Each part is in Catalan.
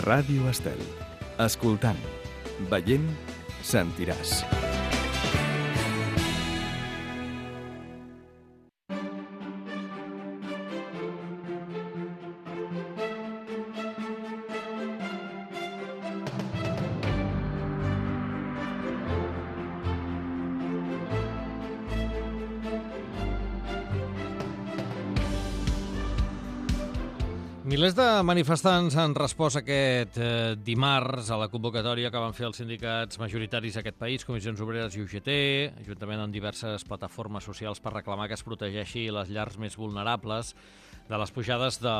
Ràdio Estel. Escoltant, veient, sentiràs. Milers de manifestants han respost aquest dimarts a la convocatòria que van fer els sindicats majoritaris d'aquest país, Comissions Obreres i UGT, juntament amb diverses plataformes socials per reclamar que es protegeixi les llars més vulnerables de les pujades de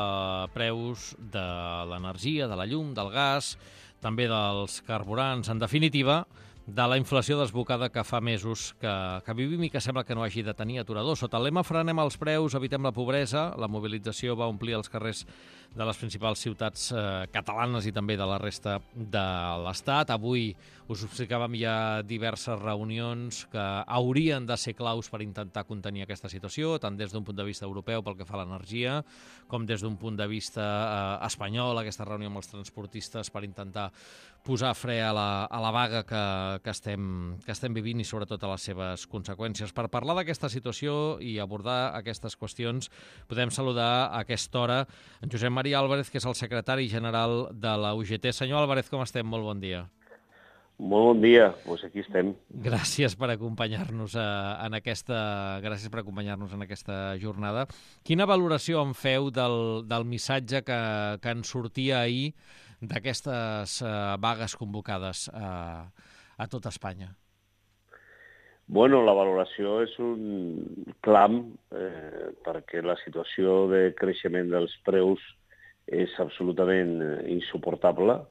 preus de l'energia, de la llum, del gas, també dels carburants, en definitiva, de la inflació desbocada que fa mesos que vivim i que sembla que no hagi de tenir aturador. Sota el lema Frenem els preus, evitem la pobresa, la mobilització va omplir els carrers de les principals ciutats catalanes i també de la resta de l'Estat. Avui us explicàvem ja diverses reunions que haurien de ser claus per intentar contenir aquesta situació, tant des d'un punt de vista europeu pel que fa a l'energia, com des d'un punt de vista espanyol, aquesta reunió amb els transportistes per intentar posar fre a la vaga que estem vivint i sobretot a les seves conseqüències. Per parlar d'aquesta situació i abordar aquestes qüestions, podem saludar a aquesta hora en Josep Maria Álvarez, que és el secretari general de la UGT. Senyor Álvarez, com estem? Molt bon dia. Molt bon dia, doncs aquí estem. Gràcies per acompanyar-nos en aquesta jornada. Quina valoració en feu del missatge que en sortia ahir d'aquestes vagues convocades a tot Espanya? Bueno, la valoració és un clam perquè la situació de creixement dels preus és absolutament insuportable.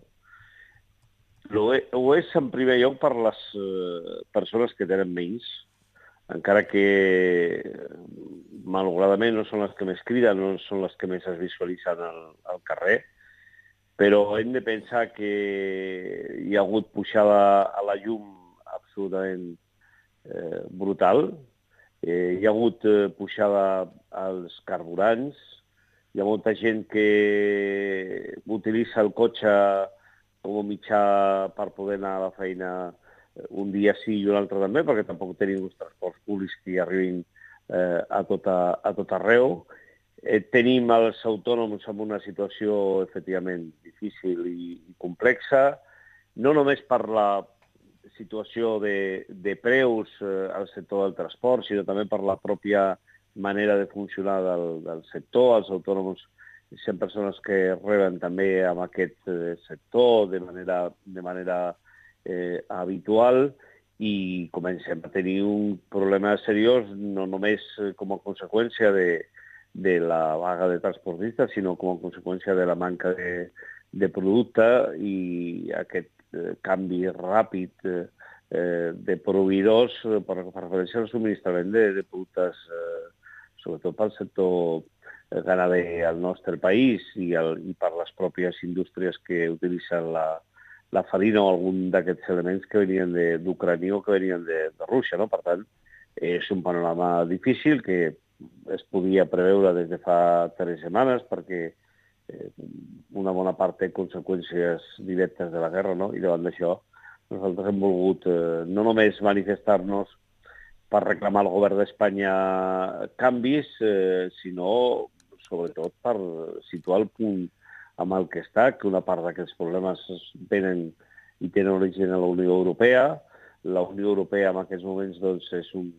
Ho és en primer lloc per les persones que tenen menys, encara que malauradament no són les que més criden, no són les que més es visualitzen al carrer, però hem de pensar que hi ha hagut pujada a la llum absolutament brutal, hi ha hagut pujada als carburants, hi ha molta gent que utilitza el cotxe com a mitjà per poder anar a la feina un dia sí i un altre també, perquè tampoc tenim uns transports públics que hi arribin a tot arreu. Tenim els autònoms en una situació efectivament difícil i complexa, no només per la situació de preus al sector del transport, sinó també per la pròpia manera de funcionar del sector. Els autònoms sempre són els que reben també amb aquest sector de manera habitual i comencem a tenir un problema seriós, no només com a conseqüència de la vaga de transportistes, sinó com a conseqüència de la manca de producte i aquest canvi ràpid de proveïdors per referència al subministrament de productes, sobretot pel sector ganader al nostre país i per les pròpies indústries que utilitzen la farina o algun d'aquests elements que venien d'Ucrània o que venien de Rússia, no? Per tant, és un panorama difícil que es podia preveure des de fa 3 setmanes perquè una bona part té conseqüències directes de la guerra, no? I davant d'això nosaltres hem volgut no només manifestar-nos per reclamar al govern d'Espanya canvis, sinó sobretot per situar el punt amb el que està, que una part d'aquests problemes tenen origen a la Unió Europea. La Unió Europea en aquests moments doncs, és un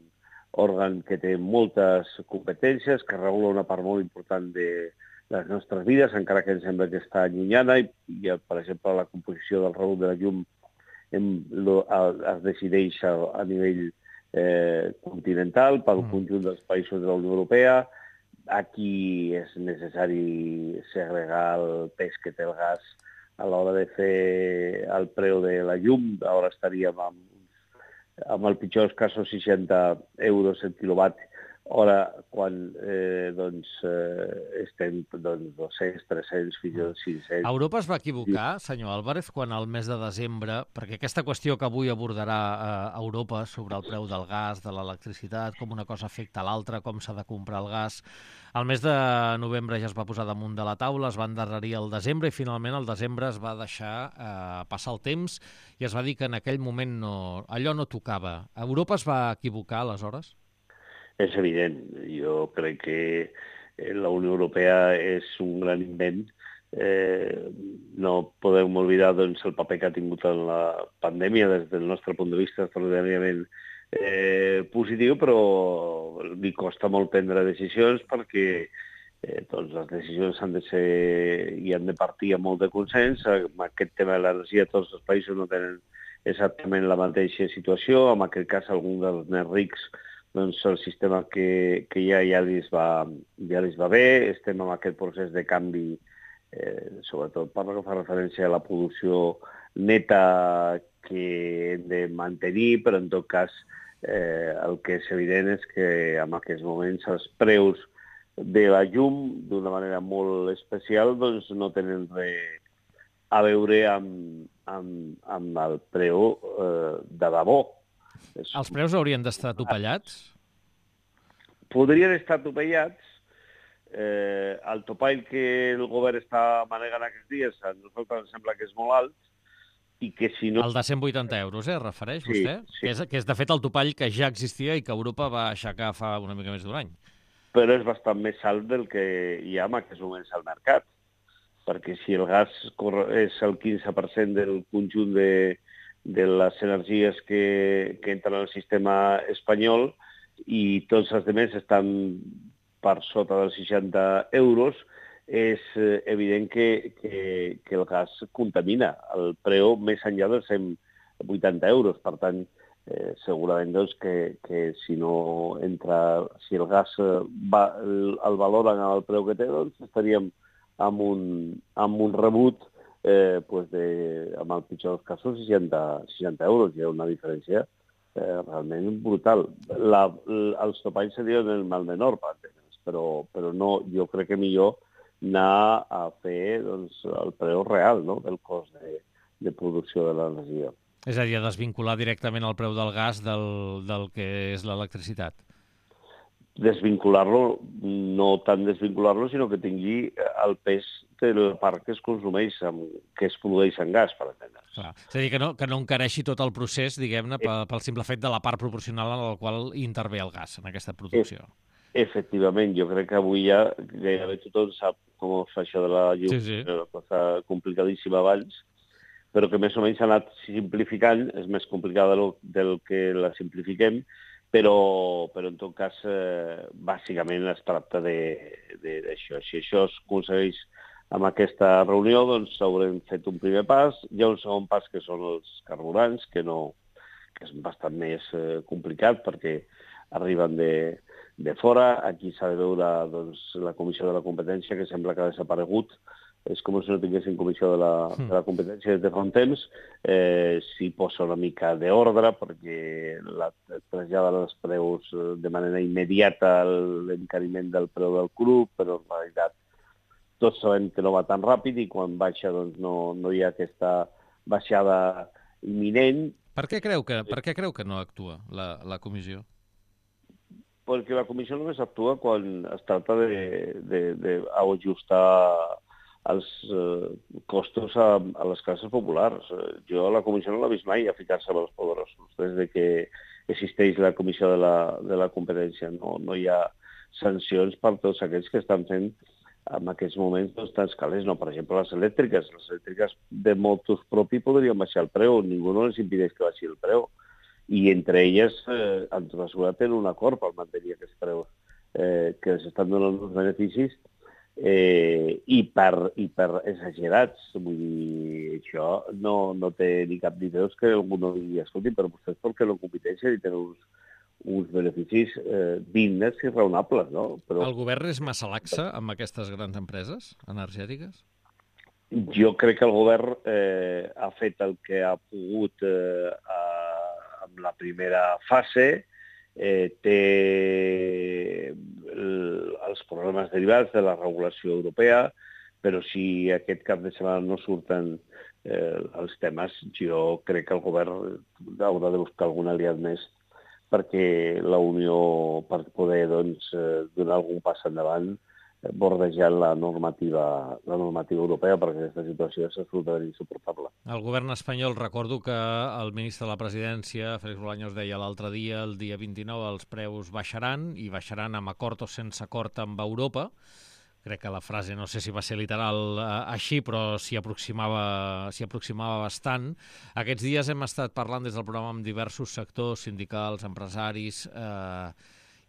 òrgan que té moltes competències, que regula una part molt important de les nostres vides, encara que ens sembla que està allunyada, i per exemple, la composició del rebut de la llum es decideix a nivell continental pel conjunt dels països de la Unió Europea. Aquí és necessari segregar el pes que té el gas a l'hora de fer el preu de la llum. Ara estaríem amb el pitjor dels casos 60 euros el quilowatt Ara, quan estem 200, 300, fins i tot 500... Europa es va equivocar, senyor Álvarez, quan al mes de desembre, perquè aquesta qüestió que avui abordarà Europa sobre el preu del gas, de l'electricitat, com una cosa afecta a l'altra, com s'ha de comprar el gas, al mes de novembre ja es va posar damunt de la taula, es va endarrerir el desembre i finalment el desembre es va deixar passar el temps i es va dir que en aquell moment allò no tocava. Europa es va equivocar aleshores? És evident. Jo crec que la Unió Europea és un gran invent. No podem oblidar doncs, el paper que ha tingut en la pandèmia des del nostre punt de vista extraordinàriament positiu, però li costa molt prendre decisions perquè doncs les decisions han de ser i han de partir amb molt de consens. En aquest tema de l'energia tots els països no tenen exactament la mateixa situació. En aquest cas, alguns dels més rics doncs el sistema que hi ha ja li va bé. Estem en aquest procés de canvi, sobretot per lo que fa referència a la producció neta que hem de mantenir, però en tot cas el que és evident és que en aquests moments els preus de la llum, d'una manera molt especial, doncs no tenen res a veure amb el preu de debò. Els preus haurien d'estar topallats? Podrien estar topallats. El topall que el govern està manegant aquests dies a nosaltres ens sembla que és molt alt i que si no... El de 180 euros, refereix vostè? Sí. Que és de fet el topall que ja existia i que Europa va aixecar fa una mica més d'un any. Però és bastant més alt del que hi ha en aquests moments al mercat, perquè si el gas és el 15% del conjunt de les energies que entren al sistema espanyol i tots els altres estan per sota dels 60 euros, és evident que el gas contamina el preu més enllà dels 180 euros. Per tant, segurament doncs, que si no entra, si el gas el valoren al preu que té, doncs estaríem amb un rebut amb el pitjor dels casos 60 euros. Hi ha una diferència realment brutal. Els topalls serien el mal menor, però no, jo crec que millor anar a fer doncs, el preu real, no?, del cost de producció de l'energia. És a dir, a desvincular directament el preu del gas del que és l'electricitat. Desvincular-lo, no tant desvincular-lo, sinó que tingui el pes de la part que es consumeix, que es produeix en gas, per entendre's. És a dir, que no encareixi tot el procés, diguem-ne, pel simple fet de la part proporcional en la qual intervé el gas en aquesta producció. Efectivament, jo crec que avui ja gairebé tothom sap com es fa això de la llum, una cosa complicadíssima abans, però que més o menys s'ha anat simplificant, és més complicada del que la simplifiquem, però en tot cas, bàsicament es tracta d'això. Si això es aconsegueix amb aquesta reunió, doncs haurem fet un primer pas. Hi ha un segon pas que són els carburants, que és bastant més complicat perquè arriben de fora. Aquí s'ha de veure doncs, la Comissió de la Competència, que sembla que ha desaparegut. És com si no tinguessin Comissió de la Competència des de fa un temps. S'hi posa una mica d'ordre perquè traslladen els preus de manera immediata l'encariment del preu del cru, però en realitat tots sabem que no va tan ràpid i quan baixa doncs, no hi ha aquesta baixada imminent. Per què creu que no actua la comissió? Perquè la comissió només actua quan es tracta d'ajustar els costos a les classes populars. Jo la comissió no l'he vist mai a ficar-se amb els poderosos. Des de que existeix la comissió de la competència no hi ha sancions per tots aquells que estan fent en aquests moments doncs, tants calés. No, per exemple, les elèctriques de motos propi podrien baixar el preu. Ningú no les impedeix que baixi el preu. I entre elles, en tota seguretat, tenen un acord per mantenir aquests preus que els estan donant uns beneficis i per exagerats. Vull dir, això no té ni cap ni peus que algú no digui, escolti, però vostès perquè no competeixen i tenen uns beneficis dignes i raonables, no? Però el govern és massa laxe amb aquestes grans empreses energètiques? Jo crec que el govern ha fet el que ha pogut amb la primera fase té els problemes derivats de la regulació europea, però si aquest cap de setmana no surten els temes, jo crec que el govern haurà de buscar algun aliat més perquè la Unió, per poder donar algun pas endavant, bordejant la normativa europea, perquè aquesta situació és absolutament insuportable. El govern espanyol, recordo que el ministre de la Presidència, Félix Bolaños, deia l'altre dia, el dia 29, els preus baixaran, i baixaran amb acord o sense acord amb Europa. Crec que la frase, no sé si va ser literal així, però s'hi aproximava bastant. Aquests dies hem estat parlant des del programa amb diversos sectors, sindicals, empresaris,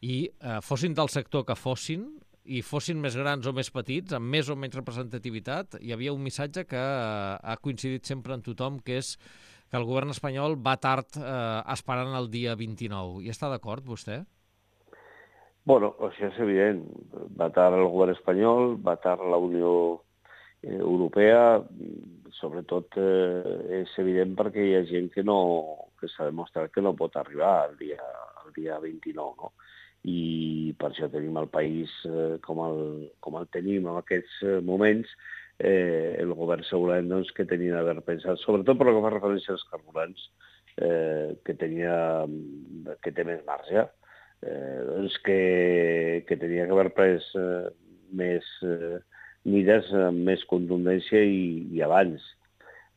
i fossin del sector que fossin, i fossin més grans o més petits, amb més o menys representativitat, hi havia un missatge que ha coincidit sempre en tothom, que és que el govern espanyol va tard esperant el dia 29. Hi està d'acord, vostè? Bueno, això és evident. Va tard el govern espanyol, va tard la Unió Europea, sobretot és evident perquè hi ha gent que s'ha demostrat que no pot arribar al dia 29, no? I per això tenim el país com el tenim en aquests moments. El govern segurament que tenia d'haver pensat, sobretot per el que fa referència als carburants, que té més marge, que tenia que haver pres més mides amb més contundència i abans.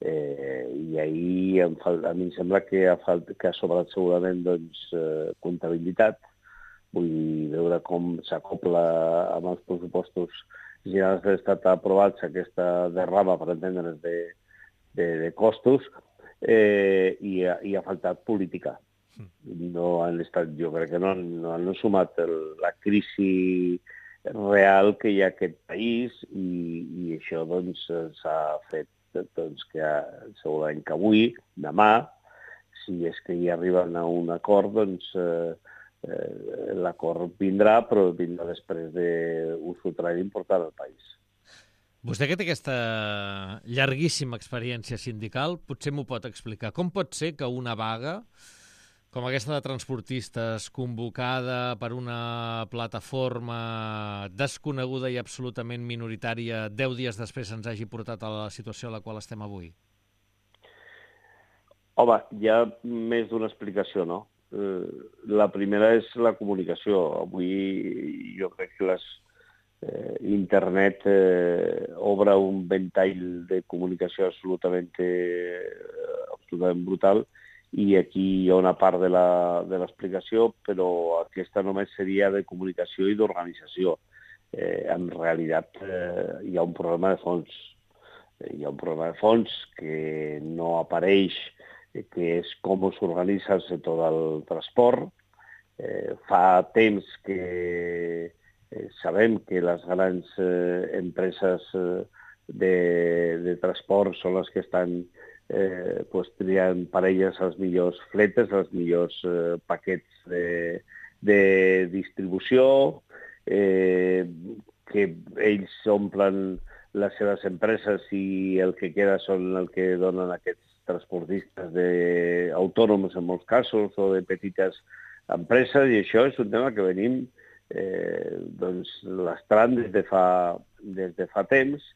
I ahir a mi em sembla que ha sobrat segurament comptabilitat. Vull veure com s'acopla amb els pressupostos generals de l'Estat aprovats aquesta derrama, per entendre's, de costos, i ha faltat política. No han estat, jo crec que no han sumat la crisi real que hi ha a aquest país, i això s'ha fet que segurament que avui, demà, si és que hi arriben a un acord, l'acord vindrà, però vindrà després d'un sotrac important al país. Vostè que té aquesta llarguíssima experiència sindical, potser m'ho pot explicar. Com pot ser que una vaga com aquesta de transportistes, convocada per una plataforma desconeguda i absolutament minoritària, 10 dies després ens hagi portat a la situació a la qual estem avui? Home, hi ha més d'una explicació, no? La primera és la comunicació. Avui jo crec que Internet obre un ventall de comunicació absolutament brutal, i aquí hi ha una part de l'explicació, però aquesta només seria de comunicació i d'organització. En realitat hi ha un problema de fons. Hi ha un problema de fons que no apareix, que és com s'organitza el sector del transport. Fa temps que sabem que les grans empreses de transport són les que estan triant per elles els millors fletes, els millors paquets de distribució, que ells omplen les seves empreses i el que queda són el que donen aquests transportistes autònoms en molts casos o de petites empreses, i això és un tema que venim lastrant des de fa temps.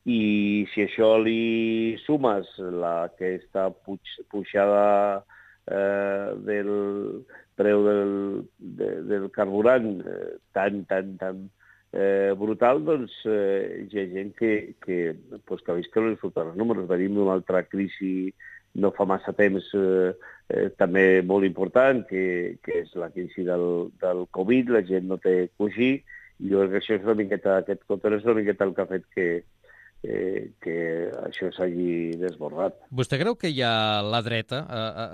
I si això li sumes aquesta pujada del preu del carburant tan brutal, hi ha gent que ha vist que no li surten els números. Venim d'una altra crisi no fa massa temps també molt important, que és la crisi del Covid. La gent no té cosí, i jo crec que això és una miqueta, aquest context és una miqueta el que ha fet que això s'hagi desbordat. Vostè creu que hi ha la dreta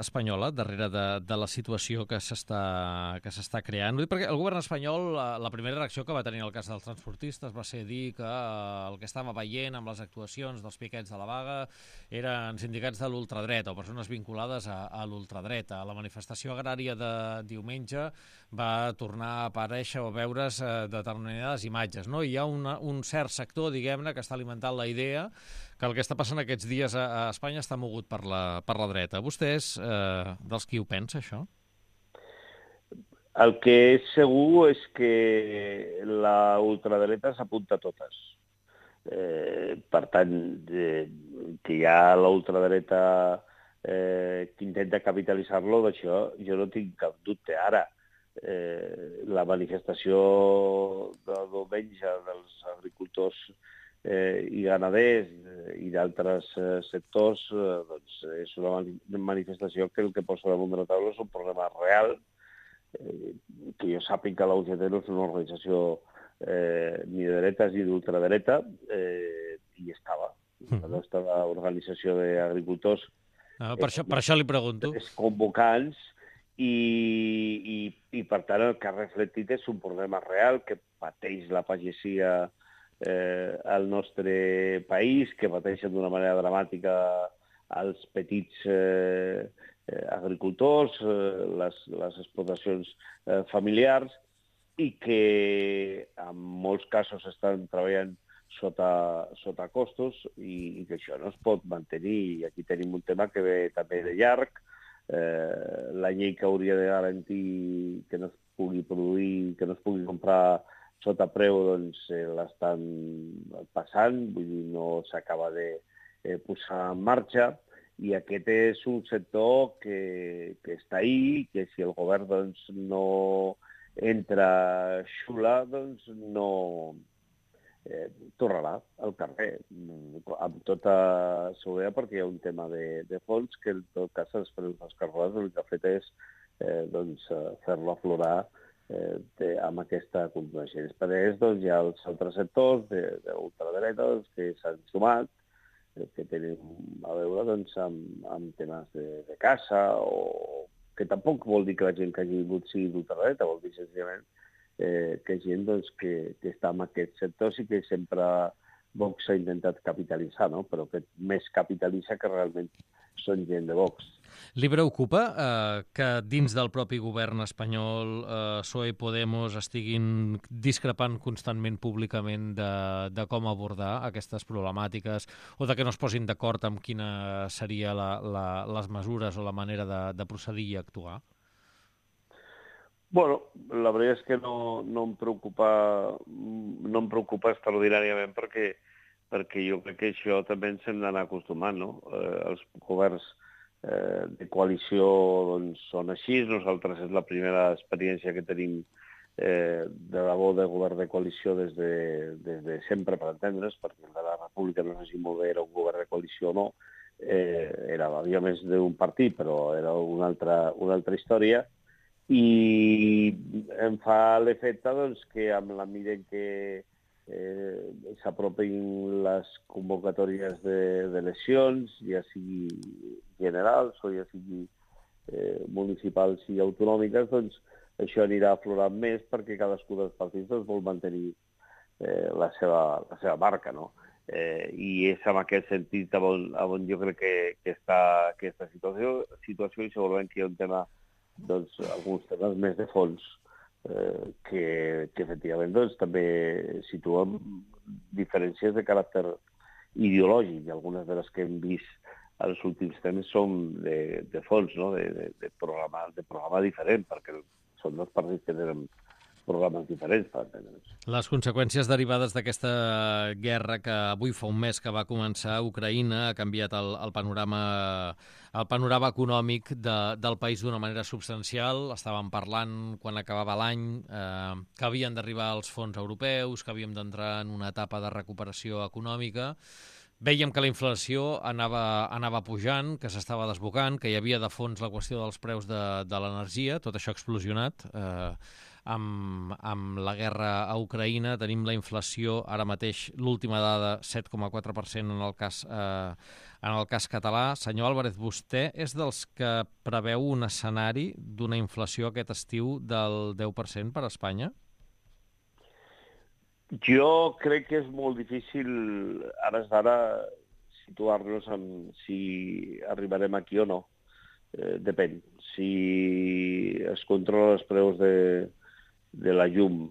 espanyola darrere de la situació que s'està creant? Perquè el govern espanyol, la primera reacció que va tenir el cas dels transportistes va ser dir que el que estava veient amb les actuacions dels piquets de la vaga eren sindicats de l'ultradreta o persones vinculades a l'ultradreta. La manifestació agrària de diumenge va tornar a aparèixer o veure's determinades imatges, no? Hi ha un cert sector, diguem-ne, que està alimentant la idea que el que està passant aquests dies a Espanya està mogut per la dreta. Vostè és dels qui ho pensa, això? El que és segur és que la ultradreta s'apunta a totes. Per tant, que hi ha la ultradreta que intenta capitalitzar-lo, d'això jo no tinc cap dubte. Ara, la manifestació de diumenge dels agricultors i ganaders i d'altres sectors doncs és una manifestació que el que posa damunt de la taula és un problema real, que jo sàpiga que la UGT no és una organització ni de dretes ni d'ultradreta, i estava. La nostra organització d'agricultors per això li pregunto. És convocants i per tant el que ha reflectit és un problema real que pateix la pagesia al nostre país, que pateixen d'una manera dramàtica els petits agricultors, les explotacions familiars, i que en molts casos estan treballant sota costos i que això no es pot mantenir. I aquí tenim un tema que ve també de llarg. La llei que hauria de garantir que no es pugui produir, que no es pugui comprar sota preu, doncs l'estan passant, vull dir, no s'acaba de posar en marxa. I aquest és un sector que està ahí, que si el govern doncs, no entra xula, doncs no tornarà al carrer, amb tota seguretat, perquè hi ha un tema de fons que en tot cas els preus dels carburants el que ha fet és fer-lo aflorar amb aquesta contundència. Després doncs, hi ha els altres sectors d'ultradreta que s'han sumat, que tenen a veure doncs, amb temes de caça, o que tampoc vol dir que la gent que hagi vingut sigui d'ultradreta, vol dir senzillament que gent doncs, que està en aquests sectors i que sempre Vox ha intentat capitalitzar, no? Però que més capitalitza que realment són gent de Vox. Li preocupa que dins del propi govern espanyol PSOE i Podemos estiguin discrepant constantment públicament de com abordar aquestes problemàtiques o de que no es posin d'acord amb quina seria les mesures o la manera de procedir i actuar? Bueno, la veritat és que no em preocupa extraordinàriament perquè jo crec que això també ens hem d'anar acostumant, no? Els governs de coalició doncs, són així. Nosaltres és la primera experiència que tenim de debò de govern de coalició des de sempre, per entendre's, perquè el de la República no sé si molt bé era un govern de coalició o no. Havia més d'un partit, però era una altra història. I em fa l'efecte doncs, que amb la mida en què s'apropin les convocatòries d'eleccions, ja sigui generals o ja sigui municipals i autonòmiques, doncs això anirà aflorant més perquè cadascú dels partits doncs, vol mantenir la seva marca, no? I és en aquest sentit on jo crec que està aquesta situació i segurament que hi ha un tema, doncs, alguns temes més de fons que efectivament doncs, també situen diferències de caràcter ideològic, i algunes de les que hem vist els últims temps són de fons, no? de programa diferent, perquè són dos partits que tenen programes diferents, per entendre'ns. Les conseqüències derivades d'aquesta guerra que avui fa un mes que va començar a Ucraïna ha canviat el panorama econòmic del país d'una manera substancial. Estàvem parlant, quan acabava l'any, que havien d'arribar els fons europeus, que havíem d'entrar en una etapa de recuperació econòmica. Vèiem que la inflació anava pujant, que s'estava desbocant, que hi havia de fons la qüestió dels preus de l'energia. Tot això ha explosionat. Amb la guerra a Ucraïna tenim la inflació, ara mateix l'última dada, 7,4% en el cas català. Senyor Álvarez, vostè és dels que preveu un escenari d'una inflació aquest estiu del 10% per a Espanya? Jo crec que és molt difícil ara situar-nos en si arribarem aquí o no. Depèn. Si es controlen els preus de la llum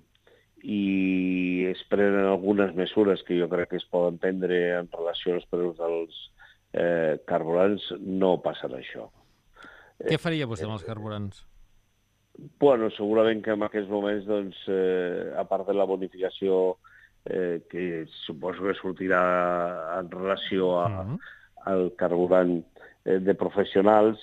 i es prenen algunes mesures que jo crec que es poden prendre en relació als preus dels carburants, no passarà això. Què faria vostè amb els carburants? Bueno, segurament que en aquests moments, doncs, a part de la bonificació que suposo que sortirà en relació al carburant de professionals,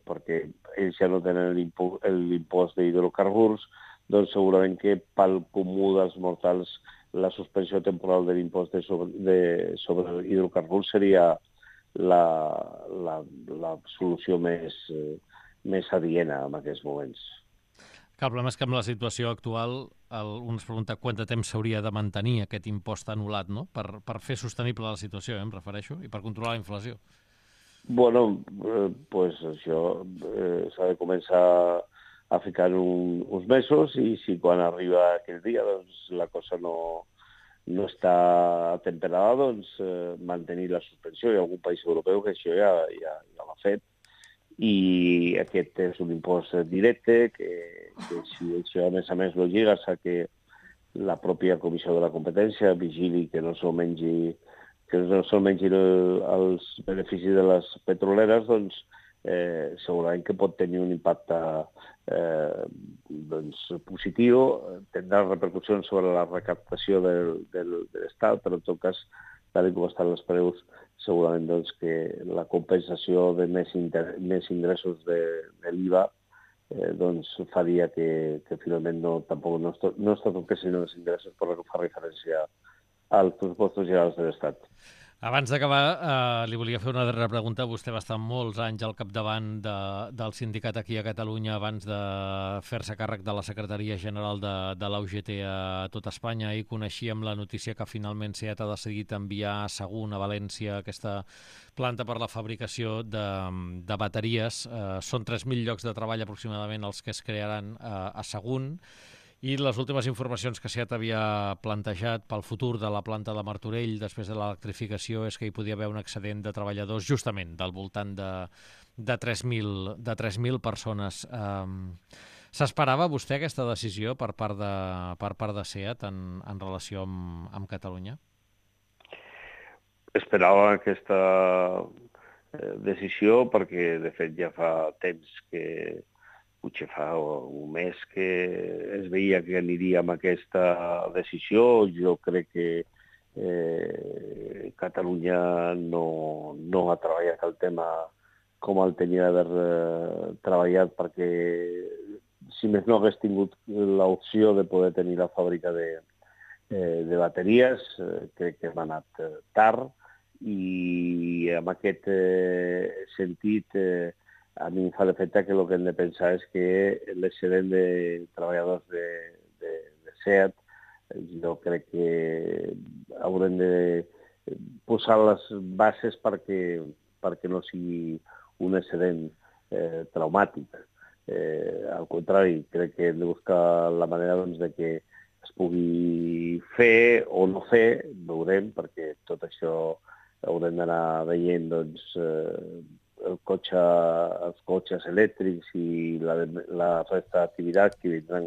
perquè ells ja no tenen l'impost d'hidrocarburs, doncs segurament que pel comú dels mortals la suspensió temporal de l'impost sobre hidrocarburs seria la solució més adiena en aquests moments. El problema és que amb la situació actual un es pregunta quant de temps s'hauria de mantenir aquest impost anul·lat, no? Per fer sostenible la situació, em refereixo, i per controlar la inflació. Bueno, pues això s'ha de començar a ficar uns mesos i si quan arriba aquell dia doncs, la cosa no està temperada, doncs mantenir la suspensió. Hi ha algun país europeu que això ja l'ha fet i aquest és un impost directe que si això a més lo lligues a que la pròpia Comissió de la Competència vigili que no se'l mengin els beneficis de les petroleres, doncs segurament que pot tenir un impacte positiu, tindrà repercussions sobre la recaptació de l'Estat, però en tot cas, tal com estan els preus, segurament doncs, que la compensació de més ingressos de l'IVA doncs faria que finalment tampoc no es toquessin els ingressos per la que fa referència als pressupostos generals de l'Estat. Abans d'acabar, li volia fer una darrera pregunta. Vostè va estar molts anys al capdavant del sindicat aquí a Catalunya abans de fer-se càrrec de la Secretaria General de la UGT a tot Espanya i coneixíem la notícia que finalment SEAT ha decidit enviar a Sagunt, a València, aquesta planta per la fabricació de bateries. Són 3.000 llocs de treball aproximadament els que es crearan a Sagunt. I les últimes informacions que SEAT havia plantejat pel futur de la planta de Martorell després de l'electrificació és que hi podia haver un excedent de treballadors justament del voltant de 3.000 persones. S'esperava vostè aquesta decisió per part de SEAT en relació amb Catalunya? Esperava aquesta decisió perquè, de fet, ja fa temps que potser fa un mes que es veia que aniria amb aquesta decisió. Jo crec que Catalunya no ha treballat el tema com el tenia d'haver treballat perquè, si més no hagués tingut l'opció de poder tenir la fàbrica de bateries, crec que hem anat tard i en aquest sentit a mi em fa l'efecte que el que hem de pensar és que l'excedent de treballadors de SEAT, jo crec que haurem de posar les bases perquè no sigui un excedent traumàtic. Al contrari, crec que hem de buscar la manera doncs, de que es pugui fer o no fer, veurem, perquè tot això haurem d'anar veient doncs, els cotxes elèctrics i la resta d'activitats que vindran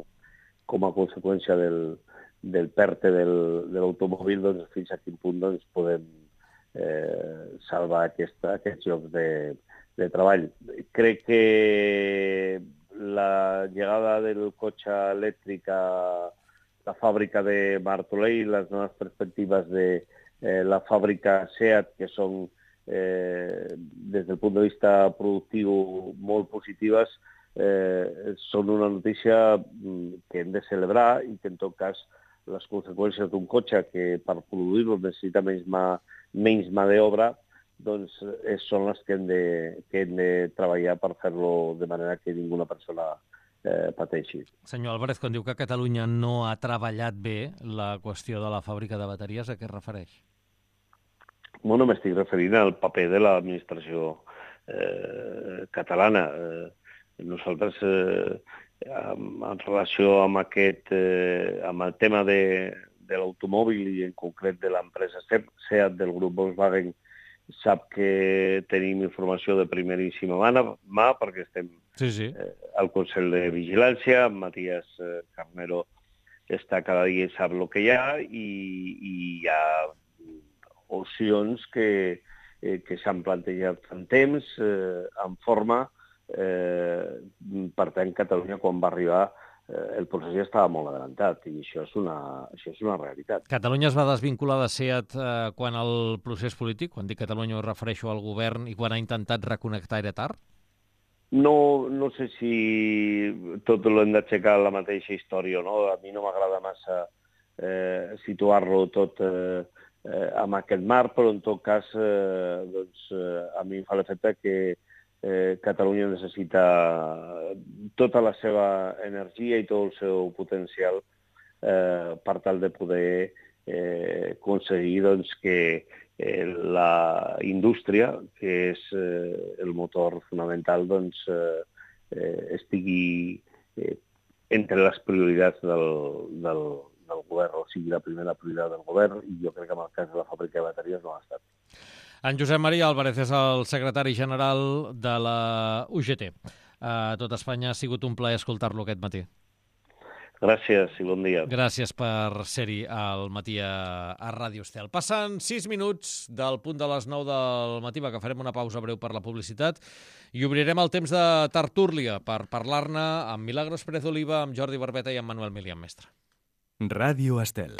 com a conseqüència del PERTE de l'automòbil, doncs, fins a quin punt doncs, podem salvar aquests llocs de treball. Crec que la llegada del cotxe elèctric a la fàbrica de Martorell, les noves perspectives de la fàbrica SEAT, que són des del punt de vista productiu molt positives, són una notícia que hem de celebrar i que en tot cas les conseqüències d'un cotxe que per produir-lo necessita menys mà d'obra, doncs són les que hem de treballar per fer-lo de manera que ninguna persona pateixi. Senyor Álvarez, quan diu que Catalunya no ha treballat bé la qüestió de la fàbrica de bateries, a què es refereix? Bueno, m'estic referint al paper de l'administració catalana. Nosaltres, en relació amb amb el tema de l'automòbil i en concret de l'empresa SEAT del grup Volkswagen, sap que tenim informació de primeríssima mà perquè estem al Consell de Vigilància. Matías Carnero està cada dia i sap el que hi ha i hi ha opcions que s'han plantejat en temps, en forma, Per tant, Catalunya, quan va arribar, el procés ja estava molt adelantat i això és una realitat. Catalunya es va desvincular de SEAT quan el procés polític, quan dic Catalunya ho refereixo al govern, i quan ha intentat reconnectar era tard? No sé si tot l'hem d'aixecar la mateixa història o no. A mi no m'agrada massa situar-lo tot amb aquest marc, però en tot cas a mi em fa l'efecte que Catalunya necessita tota la seva energia i tot el seu potencial per tal de poder aconseguir que la indústria, que és el motor fonamental, estigui entre les prioritats del govern, o sigui, la primera prioritat del govern, i jo crec que en el cas de la fàbrica de bateries no ha estat. En Josep Maria Álvarez és el secretari general de la UGT. A tot Espanya ha sigut un plaer escoltar-lo aquest matí. Gràcies i bon dia. Gràcies per ser-hi al matí a Ràdio Estel. Passen 6 minuts del punt de les 9 del matí, que farem una pausa breu per la publicitat i obrirem el temps de tertúlia per parlar-ne amb Milagros Pérez Oliva, amb Jordi Barbeta i amb Manuel Milian Mestre. Ràdio Estel.